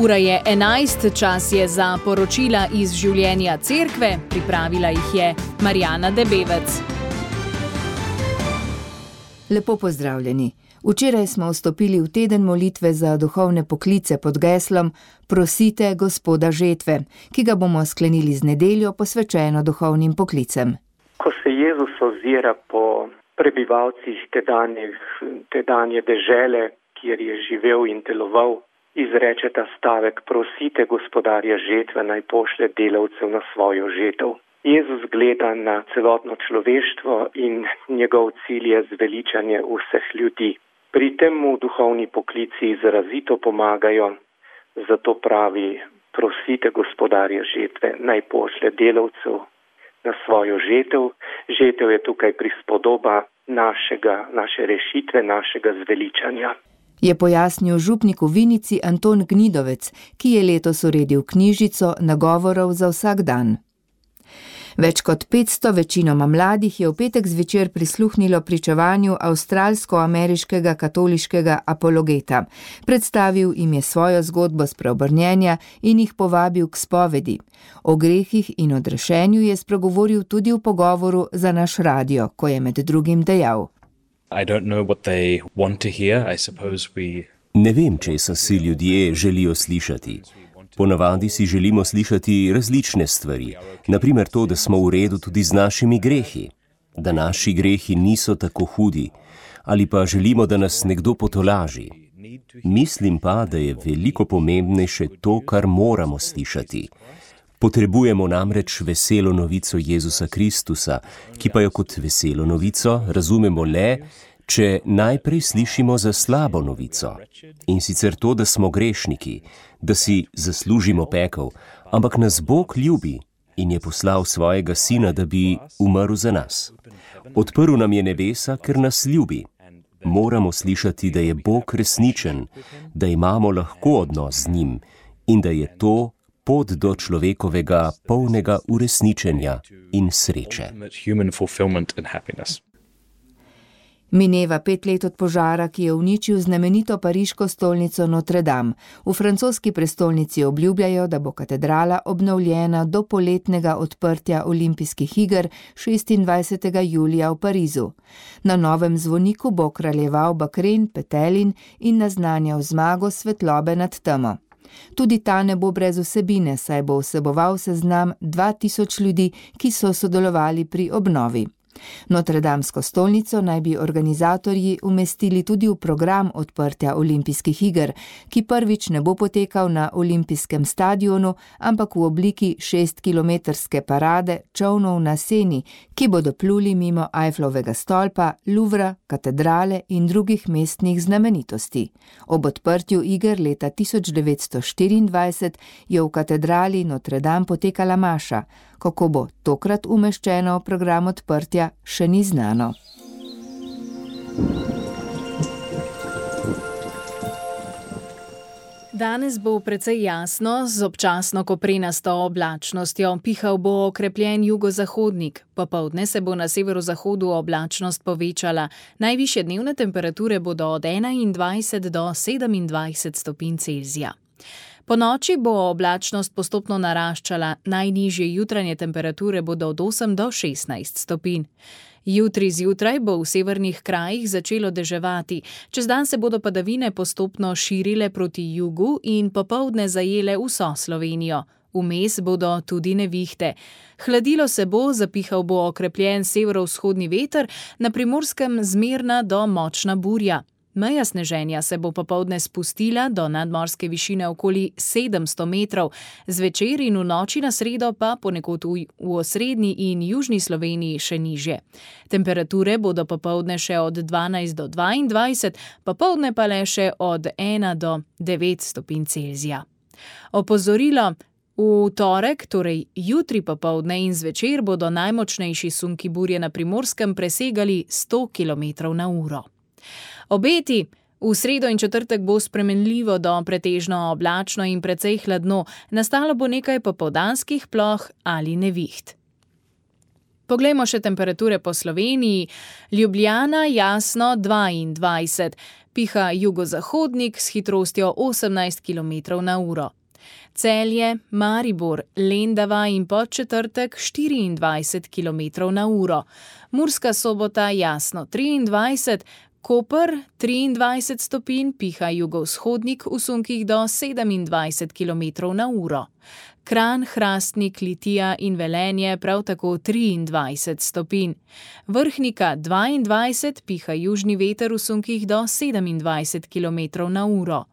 Ura je 11, čas je za poročila iz življenja cerkve, pripravila jih je Marjana Debevec. Lepo pozdravljeni. Včeraj smo vstopili v teden molitve za duhovne poklice pod geslom Prosite Gospoda žetve, ki ga bomo sklenili z nedeljo posvečeno duhovnim poklicem. Ko se Jezus ozira po prebivalcih tedanje dežele, kjer je živel in deloval, izreče ta stavek: prosite Gospodarja žetve, naj pošlje delavcev na svojo žetev. Jezus gleda na celotno človeštvo in njegov cilj je zveličanje vseh ljudi. Pri tem mu duhovni poklici izrazito pomagajo, zato pravi: prosite Gospodarja žetve, naj pošlje delavcev na svojo žetev. Žetev je tukaj prispodoba naše rešitve, našega zveličanja. Je pojasnil župnik v Vinici Anton Gnidovec, ki je letos uredil knjižico nagovorov za vsak dan. Več kot 500 večinoma mladih je v petek zvečer prisluhnilo pričevanju avstralsko-ameriškega katoliškega apologeta. Predstavil jim je svojo zgodbo spreobrnjenja in jih povabil k spovedi. O grehih in odrešenju je spregovoril tudi v pogovoru za naš radio, ko je med drugim dejal: Ne vem, česa si ljudje želijo slišati. Ponavadi si želimo slišati različne stvari, naprimer to, da smo v redu tudi z našimi grehi, da naši grehi niso tako hudi, ali pa želimo, da nas nekdo potolaži. Mislim pa, da je veliko pomembnejše to, kar moramo slišati. Potrebujemo namreč veselo novico Jezusa Kristusa, ki pa jo kot veselo novico razumemo le, če najprej slišimo za slabo novico. In sicer to, da smo grešniki, da si zaslužimo pekel, ampak nas Bog ljubi in je poslal svojega sina, da bi umrl za nas. Odprl nam je nebesa, ker nas ljubi. Moramo slišati, da je Bog resničen, da imamo lahko odnos z njim in da je to pot do človekovega polnega uresničenja in sreče. Mineva 5 let od požara, ki je uničil znamenito pariško stolnico Notre Dame. V francoski prestolnici obljubljajo, da bo katedrala obnovljena do poletnega odprtja olimpijskih iger 26. julija v Parizu. Na novem zvoniku bo kraljeval bakren, petelin in naznanjal zmago svetlobe nad temo. Tudi ta ne bo brez vsebine, saj bo vseboval seznam 2000 ljudi, ki so sodelovali pri obnovi. Notredamsko stolnico naj bi organizatorji umestili tudi v program odprtja olimpijskih iger, ki prvič ne bo potekal na olimpijskem stadionu, ampak v obliki 6-kilometrske parade čolnov na Seni, ki bodo pluli mimo Eifflovega stolpa, Louvra, katedrale in drugih mestnih znamenitosti. Ob odprtju iger leta 1924 je v katedrali Notre Dame potekala maša. Kako bo tokrat umeščeno v program odprtja, še ni znano. Danes bo precej jasno, z občasno koprenasto oblačnostjo. Pihal bo okrepljen jugozahodnik. Popoldne se bo na severozahodu oblačnost povečala. Najvišje dnevne temperature bodo od 21 do 27 stopinj Celzija. Po noči bo oblačnost postopno naraščala, najnižje jutranje temperature bodo od 8 do 16 stopinj. Jutri zjutraj bo v severnih krajih začelo deževati, čez dan se bodo padavine postopno širile proti jugu in popoldne zajele vso Slovenijo. Vmes bodo tudi nevihte. Hladilo se bo, zapihal bo okrepljen severovzhodni veter, na Primorskem zmerna do močna burja. Meja sneženja se bo popoldne spustila do nadmorske višine okoli 700 metrov, zvečer in v noči na sredo pa ponekod v osrednji in južni Sloveniji še nižje. Temperature bodo popoldne še od 12 do 22, popoldne pa le še od 1 do 9 stopinj Celzija. Opozorilo: v torek, torej jutri popoldne in zvečer, bodo najmočnejši sunki burje na Primorskem presegali 100 km/h. Obeti: v sredo in četrtek bo spremenljivo do pretežno oblačno in precej hladno, nastalo bo nekaj popoldanskih ploh ali neviht. Poglejmo še temperature po Sloveniji. Ljubljana jasno 22, piha jugozahodnik s hitrostjo 18 km/h. Celje, Maribor, Lendava in Podčetrtek 24 km/h. Murska Sobota jasno 23, Koper 23 stopinj, piha jugovzhodnik v sunkih do 27 km/h. Kranj, Hrastnik, Litija in Velenje prav tako 23 stopinj. Vrhnika 22, piha južni veter v sunkih do 27 km/h.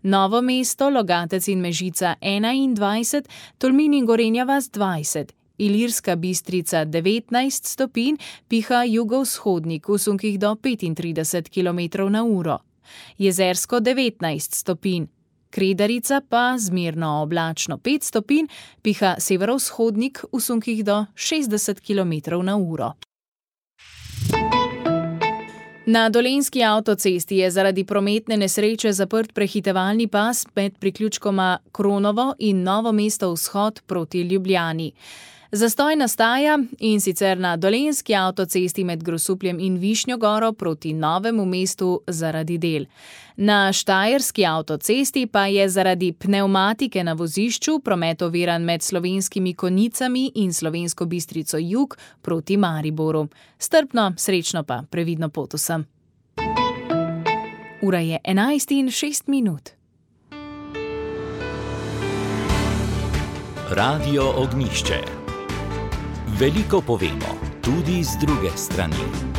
Novo mesto, Logatec in Mežica 21, Tolmin in Gorenja vas 20, Ilirska Bistrica 19 stopinj, piha jugovzhodnik v sunkih do 35 km/h. Jezersko 19 stopinj. Kredarica pa zmerno oblačno 5 stopinj, piha severovzhodnik v sunkih do 60 km/h. Na Dolenjski avtocesti je zaradi prometne nesreče zaprt prehitevalni pas med priključkoma Kronovo in Novo mesto vzhod proti Ljubljani. Zastoj nastaja, in sicer na Dolenjski avtocesti med Grosupljem in Višnjo Goro proti Novemu mestu zaradi del. Na Štajerski avtocesti pa je zaradi pnevmatike na vozišču promet oviran med Slovenskimi Konjicami in Slovensko Bistrico jug proti Mariboru. Strpno, srečno pa previdno pot vsem. Ura je 11:06. Radio Ognjišče. Veliko povemo, tudi z druge strani.